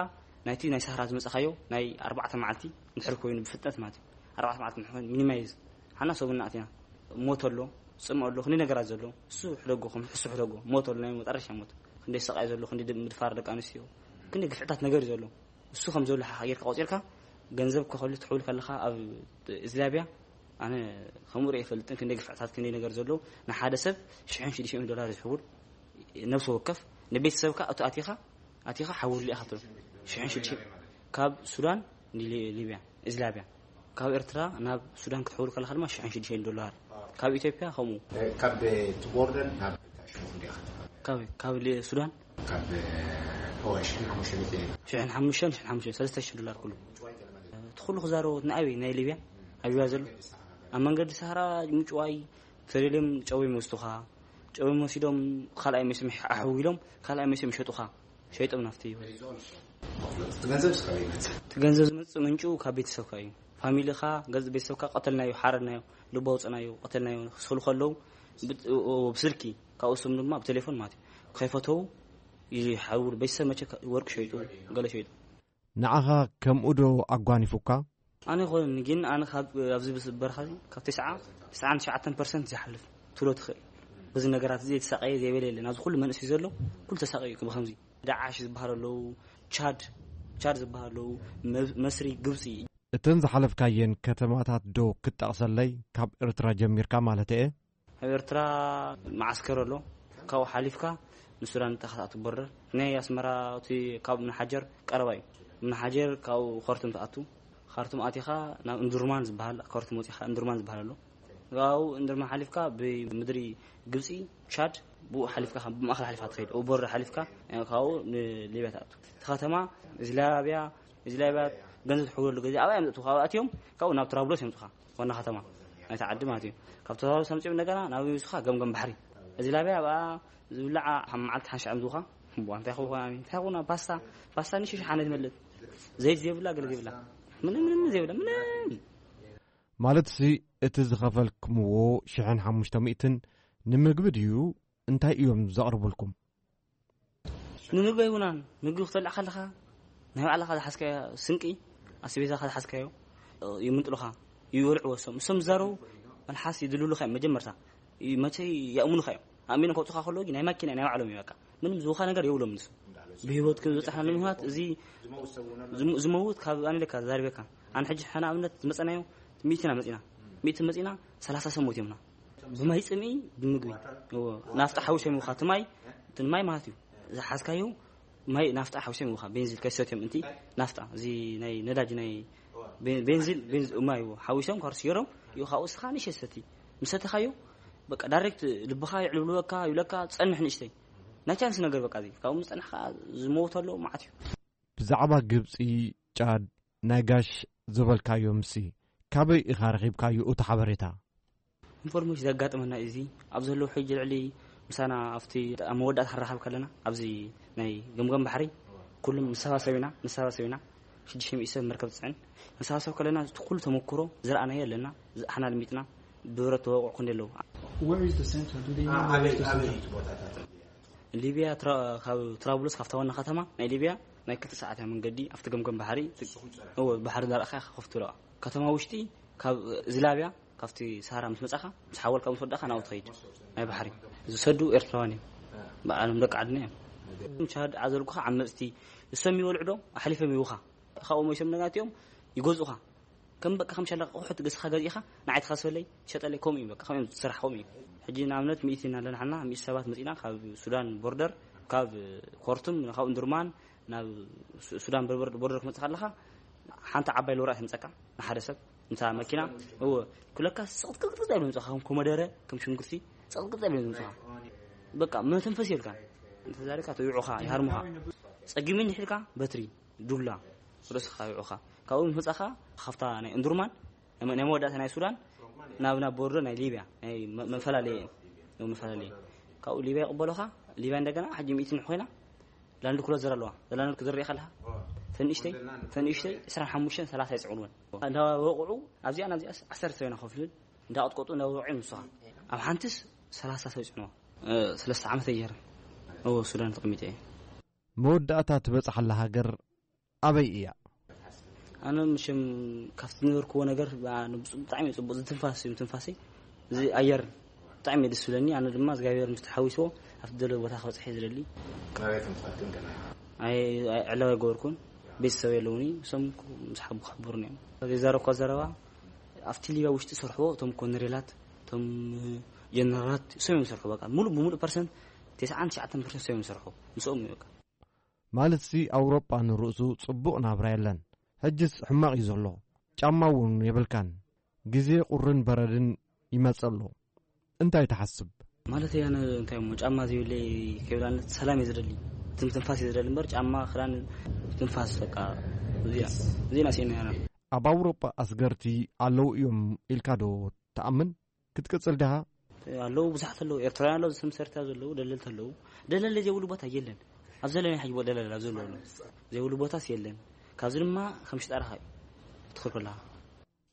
ናይቲ ናይ ሳህራ ዝመጻኻዮ ናይ ኣርባዕተ መዓልቲ ድሕሪ ኮይኑ ብፍጥነት ማለት እዩ። ኣርባዕተ መዓልቲ ምሕን ሚኒማይዝ ሓና ሰቡና ኣቲና። ሞት ኣሎ፣ ጽምኦ ኣሎ፣ ክንደይ ነገራት ዘሎ። እሱ ሕደጎ፣ ከም ሕሱ ሕደጎ። ሞት ኣሎ፣ ናይ መጨረሻ ሞት። ክንደይ ሰቃይ ዘሎ፣ ክንደይ ድ-፣ ምድፋር ደቂ ኣንስትዮ። ክንደይ ግፍዕታት ነገር እዩ ዘሎ። እሱ ከም ዘሎ ሓ-፣ ጌርካ ቆጺርካ፣ ገንዘብ ከኸሉ ትሕውል ከለኻ ኣብ እዝላብያ፣ ኣነ ከምኡ ርኢ ይፈልጥን፣ ክንደይ ግፍዕታት፣ ክንደይ ነገር ዘሎ። ንሓደ ሰብ ሽሕን ሽዱሽተ ሚእትን ዶላር ዝሕውል፣ ነብሲ ወከፍ፣ ንቤተሰብካ እቱ ኣቲኻ፣ ኣቲኻ ሓውሉ ኢኻ ትብል። ሽሕን ሽዱሽተ ካብ ሱዳን ንሊ-፣ ሊብያ፣ እዝላብያ። ካብ ኤርትራ ናብ ሱዳን ክትሕውል ከለኻ ድማ ሽሕን ሽዱሽተን ዶላር። ካብ ኢትዮጵያ ከምኡ። ካብ እቲ ቦርደር ናብ ሽሙ እንዲያ ክትፋል? ካብ፣ ካብ ሊ-፣ ሱዳን? ካብ፣ ኦ፣ ሽሕን ሓሙሽተ ሚእቲ። ሽሕን ሓሙሽተን፣ ሽሕን ሓሙሽተን፣ ሰለስተ ሽሕ ዶላር ኩሉ። እቲ ኩሉ ክዛረቡ ንኣበይ? ናይ ሊብያ? ኣብያ ዘሎ? ኣብ መንገዲ ሰሃራ ምጭዋይ፣ ተደልዮም ጨው ይወስዱኻ። ጨው ወሲዶም ካልኣይ መሲም ኣሕዊሎም፣ ካልኣይ መሲም ይሸጡኻ። ሸይጦም ናፍቲ። እቲ ገንዘብ እስካብ ይመጽእ? እቲ ገንዘብ ዝመጽእ ምንጩ ካብ ቤተሰብካ እዩ። ፋሚሊኻ፣ ገዝ ቤተሰብካ ቀተልናዮ፣ ሓረድናዮ፣ ልቡ ኣውጽእናዮ፣ ቀተልናዮ ክስሉ ከለዉ ብት-፣ ኦ-፣ ኦ-፣ ብስልኪ፣ ካብኡ ስም ድማ ብቴሌፎን ማለት እዩ። ከይፈተዉ ይሓውሩ። ቤተሰብ መቸ ከ-፣ ወርቂ ሸይጡ፣ ገለ ሸይጡ። ንዓኻ ከምኡ ዶ ኣጓኒፉካ? ኣነ ይኾን ግን ኣነ ካብ ኣብዚ ብስ-፣ በረኻ እዚ ካብ ተስዓ፣ ተስዓን ትሽዓተን ፐርሰንት ዝሓልፍ ትብሎ ትኽእል። በዚ ነገራት እዚ የተሳቀየ ዘይበለ የለን። ኣብዚ ኩሉ መንእሰይ ዘሎ ኩሉ ተሳቀዩ ብኸምዚ። ዳዓሽ ዝበሃል ኣለዉ፣ ቻድ፣ ቻድ ዝበሃል ኣለዉ፣ መ-፣ መስሪ፣ ግብጺ። እተን ዝሓለፍካየን ከተማታት ዶ ክትጠቕሰለይ? ካብ ኤርትራ ጀሚርካ ማለት እየ። ኣብ ኤርትራ መዓስከር ኣሎ። ካብኡ ሓሊፍካ ንሱዳን ጥራሕ ክትኣቱ ቦርደር። ናይ ኣስመራ እቲ ካብ እምኒ ሓጀር ቀረባ እዩ። እምኒ ሓጀር ካብኡ ኸርቱም ትኣቱ። ኻርቱም ኣቲኻ ናብ እንዱርማን ዝበሃል፣ ኻርቱም ወጺኻ እንዱርማን ዝበሃል ኣሎ። ካብኡ እንዱርማን ሓሊፍካ ብምድሪ ግብጺ፣ ቻድ፣ ብኡ ሓሊፍካ፣ ብማእከል ሓሊፍካ ትኸይድ። ኣብኡ ቦርደር ሓሊፍካ፣ ካብኡ ንሊብያ ትኣቱ። እቲ ከተማ እዚ ላብያ፣ እዚ ላብያ ገንዘብ ትሕውለሉ ግዜ ኣብኣ እዮም ዘእትዉ። ካብኡ ኣትዮም፣ ካብኡ ናብ ትራብሎስ የምጹኻ። ዋና ከተማ ናይቲ ዓዲ ማለት እዩ። ካብ ተዛረብ ሰምጺኦም እንደገና ናብ ዩሱኻ ገምገም ባሕሪ። እዚ ላብያ ኣብኣ ዝብላዓ ኣብ መዓልቲ ሓንሻዕ ምዝውኻ። እምቧ፣ እንታይ ክኸውን ኣሚ? እንታይ ክኸውን? ፓስታ፣ ፓስታ ንሽሽ ሓነ ትመልጥ። ዘይት ዘይብላ፣ ገለ ዘይብላ። ምንም፣ ምንም ዘይብላ፣ ምንም። ማለት ሲ እቲ ዝኸፈልክምዎ ሽሕን ሓሙሽተ ሚእትን ንምግቢ ድዩ? እንታይ እዮም ዘቕርቡልኩም? ንምግቢ ኣይውናን። ምግቢ ክትበልዕ ከለኻ ናይ ባዕልኻ ዝሓዝካዮ ስንቂ፣ ኣስቤዛኻ ዝሓዝካዮ፣ እ፣ ይምንጥሉኻ፣ ይበልዕዎ እሶም። እሶም ዝዛረቡ መልሓስ ይድልሉኻ እዮም መጀመርታ። ይ-፣ መቸ ይኣምኑኻ እዮም። ኣሚኖም ከውጹኻ ከለዉ ግን ናይ ማኪና ናይ ባዕሎም እዩ በቃ። ምንም ዝውኻ ነገር የብሎም ንሱ። ብህይወት ከም ዝበጻሕና ንምኽንያት እዚ ዝም-፣ ዝመውት ካብ ኣነ ኢለካ ዛሪበካ። ኣነ ሕጂ ሕና ኣብነት ዝመጸናዮ ሚእቲ ኢና መጺና። ሚእቲ መጺና ሰላሳ ሰብ ሞት እዮምና። ብማይ ጽምኢ፣ ብምግቢ። እዎ፣ ናፍጣ ሓዊሶም ይውኻ። እቲ ማይ፣ እቲ ማይ ማለት እዩ። ዝሓዝካዮ ማይ ናፍጣ ሓዊሶም ይውኻ። ቤንዚል ከይሰትዮም እንቲ ናፍጣ፣ እዚ ናይ ነዳጅ ናይ ቤ-፣ ቤንዚል፣ ቤንዝ-፣ ማይ እዎ፣ ሓዊሶም ካርሲ ገይሮም ይውኻ። እስኻ ንእሽተይ ሰቲ። ምስ ሰተኻዮ፣ በቃ ዳይሬክት ልብኻ ይዕልብልበካ፣ ይብለካ፣ ጸንሕ ንእሽተይ። ናይ ቻንስ ነገር በቃ እዚ። ካብኡ ምስ ጸናሕካ ዝመውት ኣሎ፣ መዓት እዩ። ብዛዕባ ግብጺ፣ ጫድ፣ ናይ ጋሽ ዝበልካዮምሲ፣ ካበይ ኢኻ ረኺብካዮ እቲ ሓበሬታ? ኢንፎርሜሽን ዘጋጥመና እዩ እዚ። ኣብ ዘለዉ ሕጂ ልዕሊ ምሳና ኣብቲ ኣብ መወዳእታ ክንራኸብ ከለና፣ ኣብዚ ናይ ገምገም ባሕሪ ኩሉም ንሰባሰብ ኢና፣ ንሰባሰብ ኢና። ሽዱሽተ ሚእቲ ሰብ መርከብ ትጽዕን። ንሰባሰብ ከለና እቲ ኩሉ ተመክሮ ዝረኣናዮ ኣለና፣ ዝኣሕና ልሚጥና፣ ብብረት ተወቕዑ ክንደይ ኣለዉ። Where is the center? Do they know where is the center? ሊብያ ትራ-፣ ካብ ትራብሉስ ካብታ ዋና ከተማ ናይ ሊብያ ናይ ክልተ ሰዓት እያ መንገዲ። ኣብቲ ገምገም ባሕሪ፣ እዎ፣ ባሕሪ ዳርኣኻ ከፍትለዋ። ከተማ ውሽጢ ካብ ዝላብያ፣ ካብቲ ሰሃራ ምስ መጻኻ፣ ምስ ሓወልካ ምስ ወዳእካ ናብኡ ትኸይድ። ናይ ባሕሪ ዝሰዱ ኤርትራውያን እዮም። በዓሎም ደቂ ዓድና እዮም። ቻድ ኣዘልኩኻ ዓመጽቲ እሶም ይበልዑ ዶ ኣሕሊፎም ይውኻ። ካብኡ መይሶም ነጋቲኦም ይገዝኡኻ። ከም በቃ ከም ሸለቃ ኣቑሑት ገዝኻ ገዚእኻ ንዓይ ትኻስበለይ ትሸጠለይ ከምኡ እዩ። በቃ ከምኡ እዮም ዝስራሕ፣ ከምኡ እዩ። ሕጂ ንኣብነት ሚእቲ ኢና ኣለና ሓና፣ ሚእቲ ሰባት መጺና ካብ ሱዳን ቦርደር፣ ካብ ኮርቱም፣ ካብ እንዱርማን ናብ ሱ-፣ ሱዳን ቦርደር፣ ቦርደር ክመጽእ ከለኻ ሓንቲ ዓባይ ሎራይ ትምጸካ ንሓደ ሰብ፣ ነታ መኪና። እዎ፣ ኩለካ ስቕጥቅጥቅጥ እዮም ዝምጽኻ፣ ከም ኮመደረ፣ ከም ሽንጉርቲ ስቕጥቅጥ እዮም ዝምጽኻ። በቃ መተንፈስ የልካ። እንተዛሪካ ተይዑኻ፣ ይሃርሙኻ። ጸጊሙኝ ድሒርካ በትሪ፣ ዱላ፣ ርእስኻ ይዑኻ። ካብኡ ምስ መጻኻ፣ ካብታ ናይ እንዱርማን፣ ናይ መ-፣ ናይ መወዳእታ ናይ ሱዳን፣ ናብ፣ ናብ ቦርደር ናይ ሊብያ፣ ናይ መ-፣ መፈላለየ፣ ናይ መፈላለየ። ካብኡ ሊብያ ይቕበሉኻ፣ ሊብያ እንደገና፣ ሕጂ ሚእቲ ኮይና፣ ላንድ ክሎዘር ኣለዋ። እዛ ላንድ ክሎዘር ሪኢኻ ኣለኻ? ተንእሽተይ፣ ተንእሽተይ፣ ዕስራን ሓሙሽተን፣ ሰላሳ ይጽዕኑወን። እንዳወቕዑ፣ ኣብዚኣ፣ ናብዚኣ፣ ዓሰርተ ሰብ ኢና ከፍልን፣ እንዳቐጥቀጡ፣ እንዳወቕዑ እዮም ንስኻ። ኣብ ሓንትስ፣ ሰላሳ ሰብ ይጽዕኑዋ። እ፣ ሰለስተ ዓመት እየ ገይረ። እዎ፣ ሱዳን ተቐሚጠ እየ። መወዳእታ ትበጽሓላ ሃገር ኣበይ እያ? ኣነ፣ መቸም፣ ካብቲ ዝነበርኩዎ ነገር፣ ብ-፣ ብጣዕሚ እዩ ጽቡቕ። እዚ ትንፋስ እዩ፣ ትንፋሰይ። እዚ ኣየር ብጣዕሚ እዩ ደስ ዝብለኒ። ኣነ ድማ እግዚኣብሔር ምስ ተሓዊስዎ ኣብቲ ደለዎ ቦታ ክበጽሕ እየ ዝደሊ። ናበይ ከም ትኸድ ግን ገና ኣይ-፣ ኣይ-፣ ዕላዊ ኣይገበርኩን። ቤተሰብ የለውኒ። እሶም ምስ ሓቡ ክሕብሩኒ እዮም። ዝዛረብኳ ዘረባ፣ ኣብቲ ሊብያ ውሽጢ ዝሰርሕዎ፣ እቶም ኮነሬላት፣ እቶም ጀነራላት፣ እሶም እዮም ዝሰርሑ። በቃ፣ ሙሉእ ብሙሉእ ፐርሰንት፣ ተስዓን ትሽዓተን ፐርሰንት እሶም እዮም ዝሰርሑ። ምስኦም እዩ በቃ። ማለትሲ ኣውሮጳ ንርእሱ ጽቡቕ ናብራ የለን። ሕጅስ ሕማቕ እዩ ዘሎ። ጫማ እውን የብልካን። ግዜ ቁርን በረድን ይመጽእ ኣሎ። እንታይ ትሓስብ? ማለት እያ ነ-፣ እንታይ እሞ ጫማ ዘይብለይ ከይብላነት ሰላም እየ ዝደሊ። ትም-፣ ትንፋስ እየ ዝደሊ እምበር ጫማ፣ ክዳን፣ ትንፋስ በቃ እዚኣ፣ እዚኣ ስኢነ እያ። ኣብ ኣውሮጳ ኣስገርቲ ኣለዉ እዮም ኢልካ ዶ ትኣምን? ክትቅጽል ዲኻ? ኣለዉ፣ ብዙሓት ኣለዉ። ኤርትራውያን ኣለዉ፣ ዝስም ሰርታ ዘለዉ፣ ደለልቲ ኣለዉ። ደለለ ዘይብሉ ቦታ የለን። ኣብ ዘለናዮ ሕጂ ደለለ ኣብ ዘለዉ ኣለዉ። ዘይብሉ ቦታስ የለን። ካብዚ ድማ ከም ሽጣራኻ እዩ ትኽክል ኣለኻ።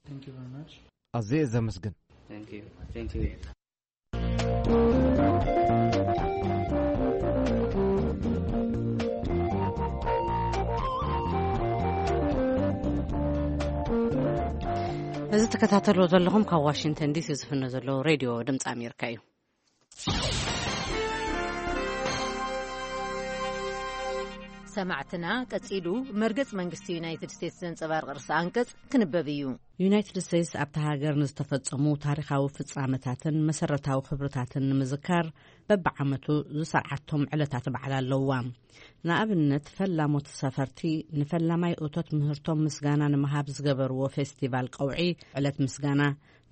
Thank you very much. ኣዝየ እየ ዘመስግን። Thank you. Thank you. እዚ ትከታተልዎ ዘለኹም ካብ ዋሽንግተን ዲሲ ዝፍኖ ዘሎ ሬድዮ ድምፂ ኣሜሪካ እዩ። ሰማዕትና፣ ቀጺሉ መርገጽ መንግስቲ ዩናይትድ ስቴትስ ዘንጸባርቕ ርእሰ ኣንቀጽ ክንበብ እዩ። ዩናይትድ ስቴትስ ኣብታ ሃገር ንዝተፈጸሙ ታሪኻዊ ፍጻመታትን መሰረታዊ ክብርታትን ንምዝካር በብዓመቱ ዝሰርዓቶም ዕለታት በዓል ኣለዋ። ንኣብነት፣ ፈላሞት ሰፈርቲ ንፈላማይ እቶት ምህርቶም ምስጋና ንምሃብ ዝገበርዎ ፌስቲቫል ቀውዒ፣ ዕለት ምስጋና፣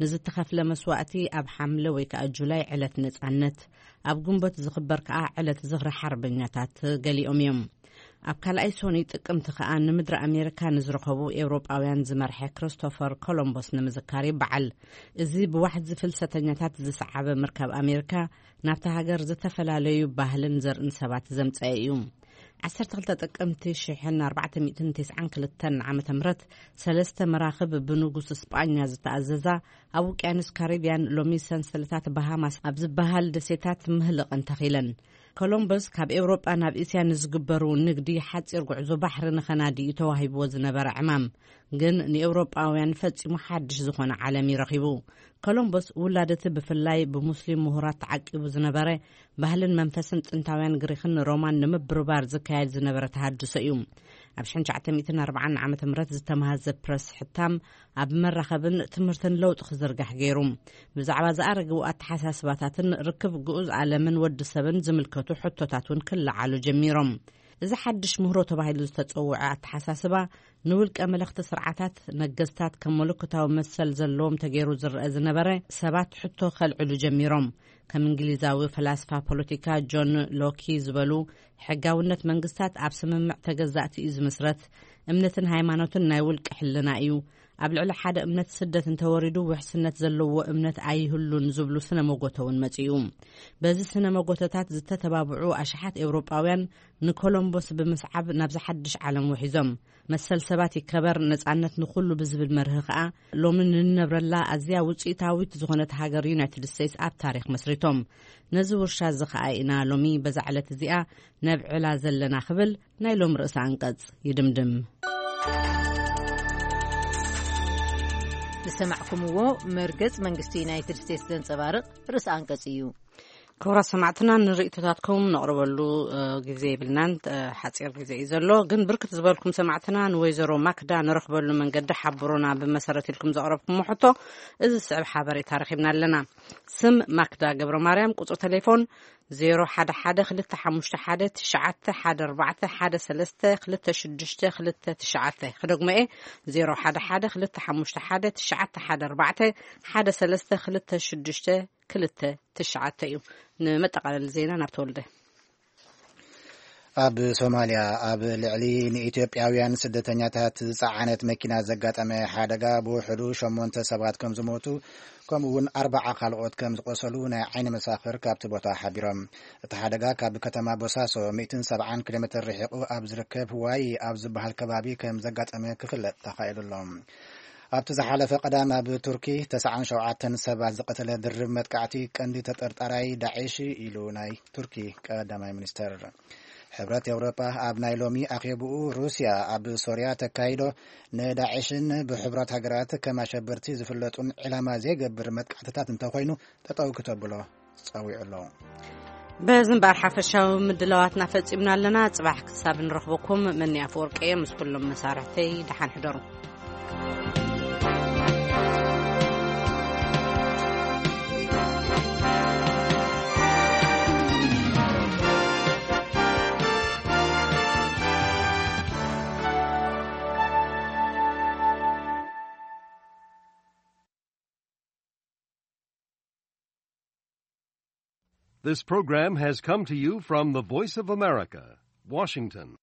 ንዝተኸፍለ መስዋእቲ ኣብ ሓምለ ወይ ከኣ ጁላይ ዕለት ነጻነት፣ ኣብ ግንቦት ዝኽበር ከኣ ዕለት ዝኽሪ ሓርበኛታት ገሊኦም እዮም። ኣብ ካልኣይ ሶኒ ጥቅምቲ ከኣ ንምድሪ ኣሜሪካ ንዝረኸቡ ኤውሮጳውያን ዝመርሐ ክርስቶፈር ኮሎምቦስ ንምዝካር ይበዓል። እዚ ብዋሕዚ ፍልሰተኛታት ዝሰዓበ ምርካብ ኣሜሪካ ናብታ ሃገር ዝተፈላለዩ ባህልን ዘርእን ሰባት ዘምጸአ እዩ። ዓሰርተ ክልተ ጥቅምቲ ሽሕን ኣርባዕተ ሚእትን ተስዓን ክልተን ዓመተ ምህረት ሰለስተ መራኽብ ብንጉስ ስጳኛ ዝተኣዘዛ ኣብ ውቅያኖስ ካሪብያን ሎሚ ሰንሰለታት ባሃማስ ኣብ ዝበሃል ደሴታት ምህልቕን ተኺለን። ኮሎምበስ ካብ ኤውሮጳ ናብ እስያ ንዝግበሩ ንግዲ ሓጺር ጉዕዞ ባሕሪ ንኸናዲ እዩ ተዋሂብዎ ዝነበረ ዕማም፣ ግን ንኤውሮጳውያን ፈጺሙ ሓድሽ ዝኾነ ዓለም እዩ ረኺቡ። ኮሎምበስ ውላድ እቲ ብፍላይ ብሙስሊም ምሁራት ተዓቂቡ ዝነበረ ባህልን መንፈስን ጥንታውያን ግሪኽን ሮማን ንምብርባር ዝካየድ ዝነበረ ተሃድሶ እዩ። ኣብ ሽሕን ትሽዓተ ሚእትን ኣርባዓን ዓመተ ምህረት ዝተመሃዘ ፕረስ ሕታም ኣብ መራኸብን ትምህርትን ለውጢ ክዝርጋሕ ገይሩ። ብዛዕባ ዝኣረግቡ ኣተሓሳስባታትን ርክብ ግኡዝ ዓለምን ወዲ ሰብን ዝምልከቱ ሕቶታት እውን ክለዓሉ ጀሚሮም። እዚ ሓድሽ ምህሮ ተባሂሉ ዝተጸውዐ ኣተሓሳስባ ንውልቀ መለኽቲ ስርዓታት ነገስታት ከም መለኮታዊ መሰል ዘለዎም ተገይሩ ዝረአ ዝነበረ ሰባት ሕቶ ከልዕሉ ጀሚሮም። ከም እንግሊዛዊ ፈላስፋ ፖለቲካ ጆን ሎኪ ዝበሉ፣ ሕጋውነት መንግስታት ኣብ ስምምዕ ተገዛእቲ እዩ ዝምስረት። እምነትን ሃይማኖትን ናይ ውልቂ ሕልና እዩ። ኣብ ልዕሊ ሓደ እምነት ስደት እንተወሪዱ ውሕስነት ዘለዎ እምነት ኣይህሉን ዝብሉ ስነ መጎተ እውን መጺኡ። በዚ ስነ መጎተታት ዝተተባብዑ ኣሽሓት ኤውሮጳውያን ንኮሎምቦስ ብምስዓብ ናብዚ ሓድሽ ዓለም ውሒዞም። መሰል ሰባት ይከበር፣ ነጻነት ንኹሉ ብዝብል መርህ ከኣ ሎሚ ንነብረላ ኣዝያ ውጽኢታዊት ዝኾነት ሃገር ዩናይትድ ስቴትስ ኣብ ታሪኽ መስሪቶም። ነዚ ውርሻ እዚ ከኣ ኢና ሎሚ በዛ ዕለት እዚኣ ነብዕላ ዘለና ክብል ናይ ሎም ርእሰ ኣንቀጽ ይድምድም። ዝሰማዕኩምዎ መርገጽ መንግስቲ ዩናይትድ ስቴትስ ዘንጸባርቕ ርእሰ ኣንቀጽ እዩ። ክቡራት ሰማዕትና፣ ንርእይቶታትኩም ነቕርበሉ፣ እ፣ ግዜ የብልናን፣ እ፣ ሓጺር ግዜ እዩ ዘሎ። ግን ብርክት ዝበልኩም ሰማዕትና ንወይዘሮ ማክዳ ንረኽበሉ መንገዲ ሓብሩና ብመሰረት ኢልኩም ዘቕረብኩሞ ሕቶ፣ እዚ ዝስዕብ ሓበሬታ ረኺብና ኣለና። ስም ማክዳ ገብረ ማርያም፣ ቁጽሪ ቴሌፎን ዜሮ ሓደ ሓደ ክልተ ሓሙሽተ ሓደ ትሽዓተ ሓደ ኣርባዕተ ሓደ ሰለስተ ክልተ ሽዱሽተ ክልተ ትሽዓተ። ክደግሞ እየ፣ ዜሮ ሓደ ሓደ ክልተ ሓሙሽተ ሓደ ትሽዓተ ሓደ ኣርባዕተ ሓደ ሰለስተ ክልተ ሽዱሽተ ክልተ ትሽዓተ እዩ። ንመጠቓለሊ ዜና ናብ ተወልደ። ኣብ ሶማልያ ኣብ ልዕሊ ንኢትዮጵያውያን ስደተኛታት ዝጸዓነት መኪና ዘጋጠመ ሓደጋ ብውሕዱ ሸሞንተ ሰባት ከም ዝሞቱ፣ ከምኡ እውን ኣርባዓ ካልኦት ከም ዝቆሰሉ ናይ ዓይኒ መሳኽር ካብቲ ቦታ ሓቢሮም። እቲ ሓደጋ ካብ ከተማ ቦሳሶ ሚእትን ሰብዓን ኪሎ ሜትር ርሒቑ ኣብ ዝርከብ ዋይ ኣብ ዝበሃል ከባቢ ከም ዘጋጠመ ክፍለጥ ተኻኢሉ ኣሎ። ኣብቲ ዝሓለፈ ቀዳም ኣብ ቱርኪ ተስዓን ሸውዓተን ሰባት ዝቐተለ ድርብ መጥቃዕቲ ቀንዲ ተጠርጣራይ ዳዕሽ ኢሉ ናይ ቱርኪ ቀዳማይ ሚኒስተር። ሕብረት ኤውሮጳ ኣብ ናይ ሎሚ ኣኼብኡ ሩስያ ኣብ ሶርያ ተካይዶ ንዳዕሽን ብሕቡራት ሃገራት ከም ኣሸበርቲ ዝፍለጡን ዕላማ ዘይገብር መጥቃዕትታት እንተኾይኑ ጠጠው ክተብሎ ጸዊዑ ኣሎ። በዚ እምበኣር ሓፈሻዊ ምድላዋትና ፈጺምና ኣለና። ጽባሕ ክሳብ ንረኽበኩም፣ መኒ ኣፈወርቂ እየ ምስ ኩሎም መሳርሕተይ። ደሓን ሕደሩ። This program has come to you from the Voice of America, Washington.